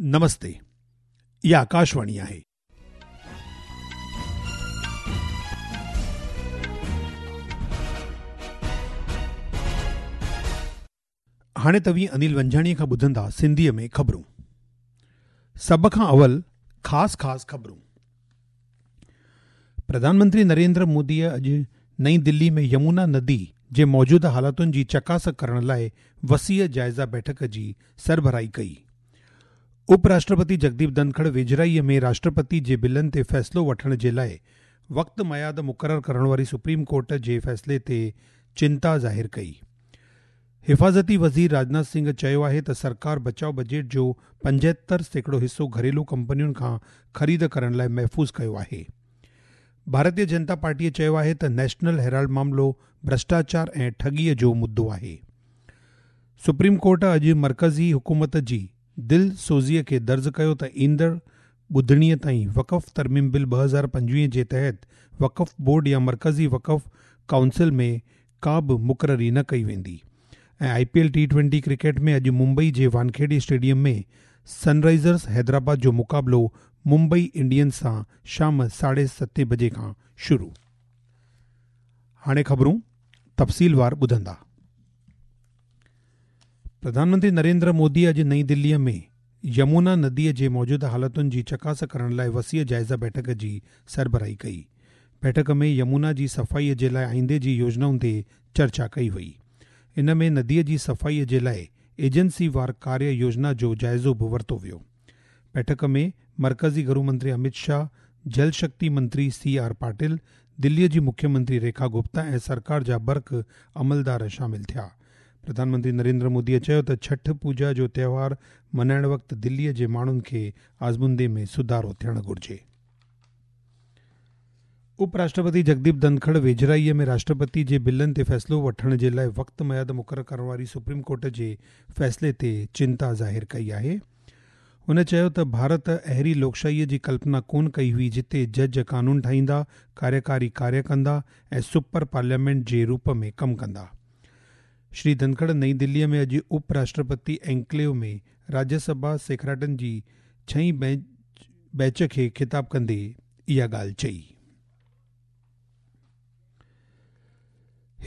نمستي، اها آڪاشواڻي آهي. هاڻي توهين انيل ونجهاڻيء کان ٻڌندا سنڌيء ۾ خبرون. سڀ کان اول خاص خاص خبرون. پرڌان منتري نريندر موديء اڄ نئين دلي ۾ يمونا ندي جي موجوده حالتن جي چڪاس ڪرڻ لاء وسيع جائزه بيٺڪ جي سربراهي ڪئي. اپ راشٽرپتي جگديپ ڌنکڙ ويجهڙائيء ۾ راشٽرپتي جي بلن تي فيصلو وٺڻ جي لاء وقت ميعاد مقرر ڪرڻ واري سپريم ڪورٽ جي فيصلي تي چنتا ظاهر ڪئي. حفاظتي وزير راجناٿ سنگهه چيو آهي ته سرڪار بچاء بجيٽ جو 75% حصو گهريلو ڪمپنين کان خريد ڪرڻ لاء محفوظ ڪيو آهي. ڀارتيه جنتا پارٽيء چيو آهي ته نيشنل هيرالڊ معاملو ڀرشٽاچار ۽ ٺڳيء جو مدو آهي. سپريم ڪورٽ اڄ مرڪزي حڪومت جي دل سوزيء کي درج ڪيو ته ايندڙ ٻڌڻيء تائين وقف ترميم بل 2025 جي تحت وقف بورڊ يا مرڪزي وقف ڪائونسل ۾ ڪا به مقرري نه ڪئي ويندي ۽ I P L T twenty cricket ۾ اڄ ممبئي جي وانکيڙي اسٽيڊيم ۾ سن رائيزرز حيدرآباد جو مقابلو ممبئي انڊينز سان شام ساڍي ستين بجي کان شروع. هاڻي خبرون تفصيلوار ٻڌندا. پرڌان منتري نريندر مودي اڄ نئين دليء ۾ يمونا نديء جي موجوده حالتن جي چڪاس ڪرڻ لاء وسيع جائزه بيٺڪ جي سربراهي ڪئي. بيٺڪ ۾ يمونا جي صفائيء جي لاء آئيندي جي يوجنائن تي چرچا ڪئي وئي. ان ۾ نديء جي صفائيء جي لاء ايجنسي وار ڪاريه يوجنا جو جائزو به ورتو ويو. بيٺڪ ۾ مرڪزي گهرو منتري امت شاهه، جل شڪتي منتري سي آر پاٽل، دليء جي مکيه منتري ريکا گپتا ۽ سرڪار جا برک عملدار شامل ٿيا. پرڌان منتري نريندر موديء چيو ته ڇٺ پوڄا جو تهوار ملهائڻ وقت دليء جي ماڻهن کي آزمودي ۾ سڌارو ٿيڻ گهرجي. اپ راشٽرپتي جگديپ ڌنکڙ ويجهڙائيء ۾ راشٽرپتي جي بلن تي فيصلو وٺڻ جي لاء وقت ميعاد مقرر ڪرڻ واري سپريم ڪورٽ جي فيصلي تي چنتا ظاهر ڪئي آهي. هن چيو ته ڀارت اهڙي لوڪشاهيء جي ڪلپنا ڪونه ڪئي هئي جتي جج قانون ٺاهيندا، ڪاريڪاري ڪاريه ڪندا ۽ سپر پارليامينٽ جي روپ ۾ ڪم ڪندا. شري ڌنکڙ نئين دليء ۾ اڄ اپ راشٽرپتي اينڪليو ۾ راجيه سڀا سيکڙاٽن جي ڇهين بيچ کي خطاب ڪندي اها ڳالهه چئي.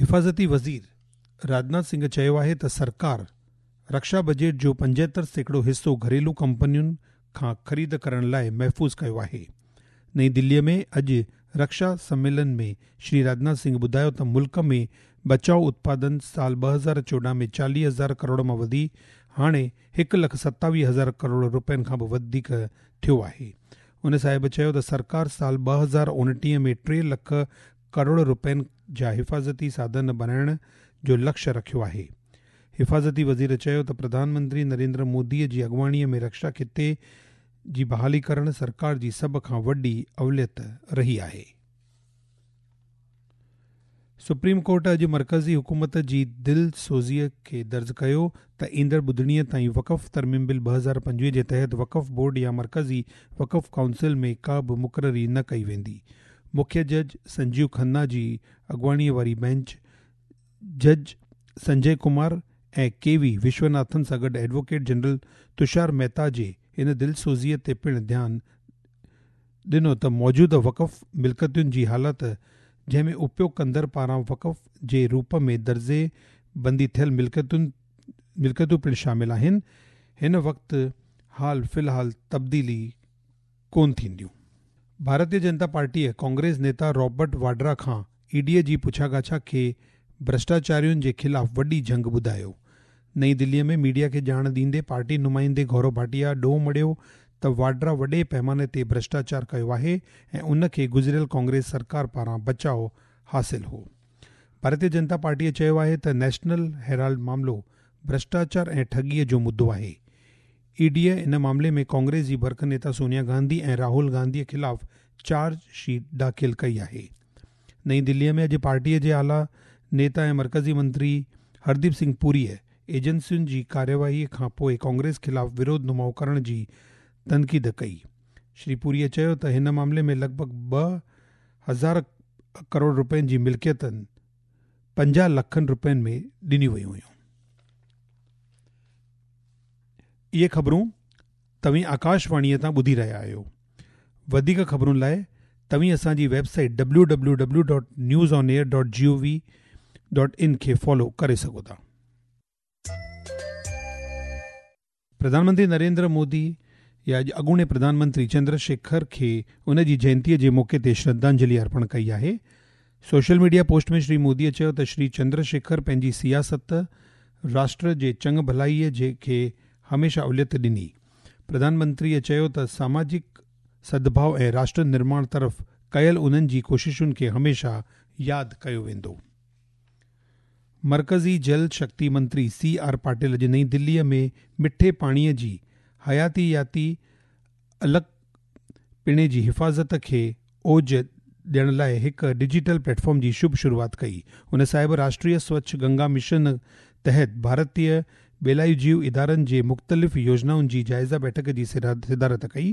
حفاظتي وزير راجناٿ سنگهه چيو آهي ته سرڪار رڪشا بجيٽ جو 75% حصو گهريلو ڪمپنين کان خريد ڪرڻ لاء محفوظ ڪيو آهي. نئين دليء ۾ اڄ رڪشا سميلن ۾ شري راجناٿ سنگهه ٻڌايو ته ملڪ ۾ بچاء اتپادن سال 2014 ۾ 40 هزار ڪروڙ مان وڌي هاڻي هڪ لک 27 هزار ڪروڙ رپين کان به وڌيڪ ٿيو آهي. ان صاحب چيو ته سرڪار سال 2029 ۾ ٽي لک ڪروڙ رپين جا حفاظتي ساڌن بڻائڻ جو لڪش رکيو آهي. حفاظتي وزير چيو ته پرڌان منتري نريندر مودي جي اڳواڻي ۾ رڪشا خطي جي بحالي ڪرڻ سرڪار جي سڀ کان وڏي اوليت رهي آهي. سپريم ڪورٽ اڄ مرڪزي حڪومت جي دل سوزيء کي درج ڪيو ته ايندڙ ٻڌڻيء تائين وقف ترميم بل 2025 جي تحت وقف بورڊ يا مرڪزي وقف ڪائونسل ۾ ڪا به مقرري نه ڪئي ويندي. مکيه جج سنجيو کنا جي اڳواڻيء واري بئنچ جج سنجي ڪمار ۽ ڪي وي وشوناٿن سان گڏ ايڊووڪيٽ جنرل تشار مهتا جي ان دلسوزيء تي پڻ ڌيان ڏنو ته موجوده وقف ملڪيتن جي حالت جنهن ۾ اپيوگ ڪندڙ پاران وقف جي روپ ۾ درجي بندي ٿيل ملڪيتن ملڪيتون پڻ شامل آهن هن وقت حال في الحال تبديلي ڪونه ٿينديون. ڀارتيه جنتا پارٽيء ڪانگريس نيتا رابرٽ واڊرا کان اي ڊيء جي پڇاڳاڇا کي ڀرشٽاچارين جي خلاف وڏي جنگ ٻڌايو. نئين دليء ۾ ميڊيا کي ڄاڻ ڏيندي پارٽي نمائندي گورو ڀاٽيا ڏوهه مڙهيو ته واڊرا وڏي پئماني تي ڀرشٽاچار ڪيو آهي ۽ ان کي گذريل ڪانگريس سرڪار پاران بچاء حاصل هو. ڀارتيه جنتا پارٽيء چيو آهي ته نيشنل هيرالڊ معاملو ڀرشٽاچار ۽ ٺڳيء جو مدو آهي. اي ڊيء ان معاملي ۾ ڪانگريس جي برک نيتا سونيا گانڌي ۽ راهول گانڌيء خلاف چارج شيٽ داخل ڪئي آهي. نئين دليء ۾ اڄ پارٽيء جي اعليٰ نيتا ۽ مرڪزي منتري هرديپ سنگهه پوريء ايجنسين جي ڪارروائيء کان پوء ڪانگريس خلاف وروڌ نماء ڪرڻ جي تنقيد ڪئي. شري پوريء چيو ته هن معاملي ۾ لڳ ڀڳ 2000 ڪروڙ رپين جي ملڪيتن 50 لکن رپين ۾ ڏنيون ويون هيون. اهي خبرون توهين آڪاشواڻيء تان ٻڌي رهيا آهيو. وڌيڪ خبرن لاء توهين اسان جي website W W W dot news on air dot G O V dot in کي فالو ڪري سگهو ٿا. پرڌان منتري نريندر مودي اڄ اڳوڻي پرڌان منتري چندر شيکر کي ان جي جينتيء جي موقعي تي شرڌانجلي ارپڻ ڪئي آهي. Social media post ۾ Shri Modi چيو ته شري چندر شيکر پنهنجي سياست راشٽر جي چڱ ڀلائيء جي کي هميشه اوليت ڏني. پرڌان منتريء چيو ته ساماجڪ سدڀاء ۽ راشٽر نرماڻ طرف ڪيل انهن جي ڪوششن کي هميشه ياد ڪيو ويندو. مرڪزي جل شڪتي منتري سي آر پاٽل اڄ نئين دليء ۾ مٺي پاڻيء جي حياتياتي الڳ پڻي جي حفاظت کي اوج ڏيڻ لاء هڪ ڊجيٽل پليٽ فارم جي شڀ شروعات ڪئي. هن صاحب راشٽريه سوڇ گنگا مشن تحت ڀارتيه ٻيلائي جيو ادارن جي مختلف يوجنائن جي جائزه بيٺڪ جي صدارت ڪئي.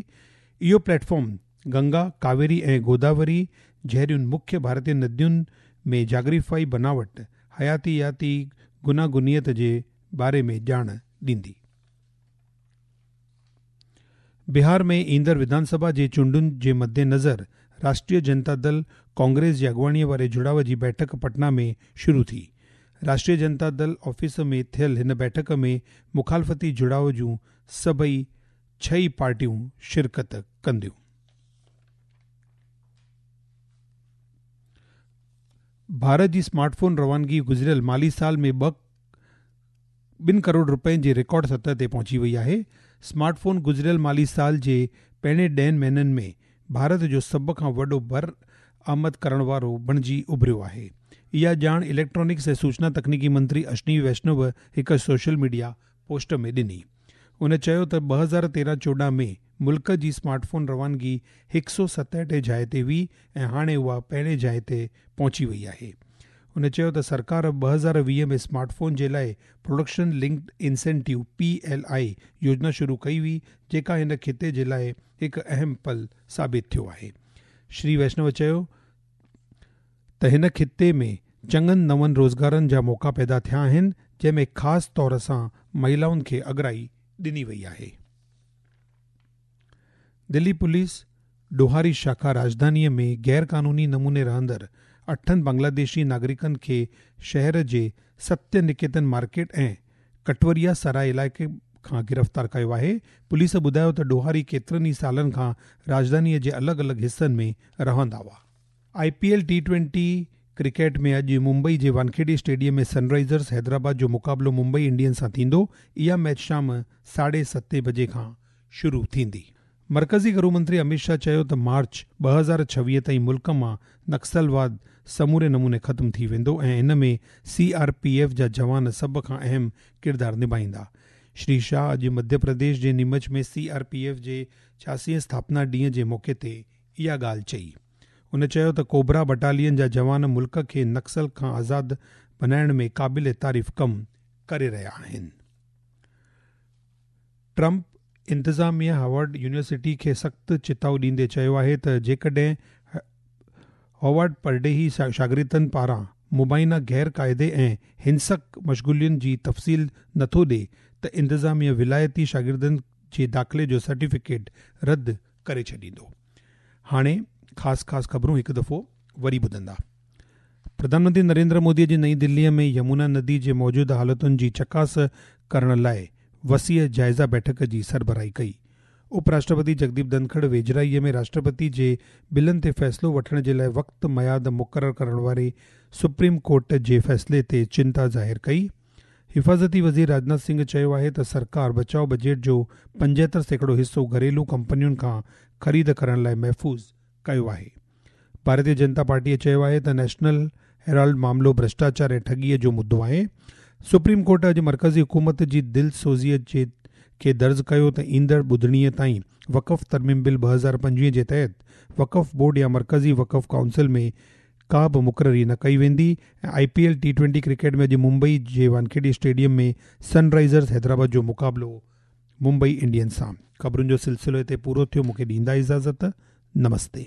اهو پليٽ فارم گنگا، ڪاويري ۽ گوداوري جهڙين مکيه ڀارتيه ندين ۾ جاگرافيائي بناوٽ، حياتياتي گوناگونيت جي باري ۾ ڄاڻ ڏيندي. بهار ۾ ايندڙ وڌان سڀا جي چونڊن جي مدنظر راشٽريه جنتا دل ڪانگريس جي اڳواڻيء واري جڙاء جي بيٺڪ پٽنا ۾ شروع ٿي. راشٽريه جنتا دل آفيس ۾ ٿيل هن بيٺڪ ۾ مخالفتي جڙاء جون سڀئي ڇهه ئي پارٽيون شرڪت ڪنديون. ڀارت جي سمارٽ فون روانگي گذريل مالي سال ۾ ٻه ٻن ڪروڙ رپين جي رڪارڊ سطح تي پهچي وئي آهي. سمارٽ فون گذريل مالي سال جي پهرين ڏهن مهينن ۾ ڀارت جو سڀ کان وڏو برآمد ڪرڻ وارو بڻجي اڀريو آهي. اها ڄاڻ اليڪٽرانڪس ۽ سوچنا تڪنيڪي منتري اشني ويشنو هڪ سوشل ميڊيا پوسٽ ۾ ڏني. هن چيو ته 2013 14 ۾ ملڪ جي سمارٽ فون روانگي هڪ سئو ستهٺ جاء تي هئي ۽ هاڻي اها پهرين جاء تي پهچي وئي آهي. هن چيو ته سرڪار 2020 ۾ سمارٽ فون جي لاء production linked incentive, P L I, يوجنا شروع ڪئي هئي جيڪا هن خطي جي لاء هڪ اهم پل ثابت ٿيو آهي. شري ويشنو چيو ته هن خطي ۾ چڱن نون روزگارن جا موقعا پيدا ٿيا آهن جنهن ۾ خاص طور سان مهيلائن کي اڳرائي ڏني وئي آهي. دلي پوليس ڏوهاري شاخا راڄڌانيء ۾ غير قانوني نموني رهندڙ اٺن بنگلاديشي ناگرڪن کي شهر جي ستيه نڪيتن مارڪيٽ ۽ ڪٽوريا سراء علائقي کان گرفتار ڪيو آهي. پوليس ٻڌايو ته ڏوهاري ڪيترن ئي سالن کان راڄڌانيء جي الڳ الڳ حصن ۾ رهندا هئا. I P L T twenty cricket ۾ اڄ ممبئي جي وانکيڙي اسٽيڊيم ۾ سن رائيزرز حيدرآباد جو مقابلو ممبئي انڊينز سان ٿيندو. اها ميچ شام ساڍي ستين بجي کان شروع ٿيندي. مرڪزي گهرو منتري اميت شاهه چيو ته مارچ 2026 تائين ملڪ مان نڪسلواد سموري نموني ختم ٿي ويندو ۽ ان ۾ سي آر پي ايف جا جوان سڀ کان اهم ڪردار نڀائيندا. شري شاهه اڄ مڌيه پرديش جي Neemuch ۾ C R P F جي ڇياسي هين اسٿاپنا ڏينهن جي موقعي تي اها ڳالهه چئي. هن چيو ته ڪوبرا بٽالين جا جوان ملڪ کي نڪسل کان آزاد بنائڻ ۾ قابل تعريف ڪم ڪري رهيا آهن. ٽرمپ انتظاميه هاورڊ يونيورسٽي کي سخت چتاء ڏيندي چيو آهي ته جيڪڏهن هاورڊ پرڏيهي شاگردن پاران مبينا غير قاعدي ۽ هنسڪ مشغولين جي تفصيل نٿو ڏي ته انتظاميه ولايتي شاگردن جي داخلي جو سرٽيفڪيٽ رد ڪري ڇڏيندو. هاڻي خاص خاص خبرون هڪ دفعو وري ٻڌندا. پرڌان منتري نريندر مودي اڄ نئين دلي ۾ يمونا ندي جي موجوده حالتن جي چڪاس ڪرڻ لاء وسيع جائزه بيٺڪ جي سربراهي ڪئي. اپ راشٽرپتي جگديپ ڌنکڙ ويجهڙائي ۾ راشٽرپتي جي بلن تي فيصلو وٺڻ جي لاء وقت ميعاد مقرر ڪرڻ واري سپريم ڪورٽ جي فيصلي تي چنتا ظاهر ڪئي. حفاظتي وزير راجناٿ سنگهه چيو آهي ته سرڪار بچاء بجيٽ جو 75% حصو گهريلو ڪمپنين کان خريد ڪرڻ لاء محفوظ ڪيو آهي. ڀارتي جنتا پارٽيء چيو آهي ته نيشنل هيرالڊ معاملو ڀرشٽاچار ۽ ٺڳيء جو مدو آهي. سپريم ڪورٽ اڄ مرڪزي حڪومت جي دلسوزيء کي درج ڪيو ته ايندڙ ٻڌڻيء تائين وقف ترميم بل 2025 جي تحت وقف بورڊ يا مرڪزي وقف ڪائونسل ۾ ڪا به مقرري نه ڪئي ويندي ۽ I P L T twenty cricket ۾ اڄ ممبئي جي وانکيڙي اسٽيڊيم ۾ سن رائيزرز حيدرآباد جو مقابلو ممبئي انڊينز سان. خبرن جو سلسلو هتي پورو ٿيو مونکي ڏيندا اجازت نمستي.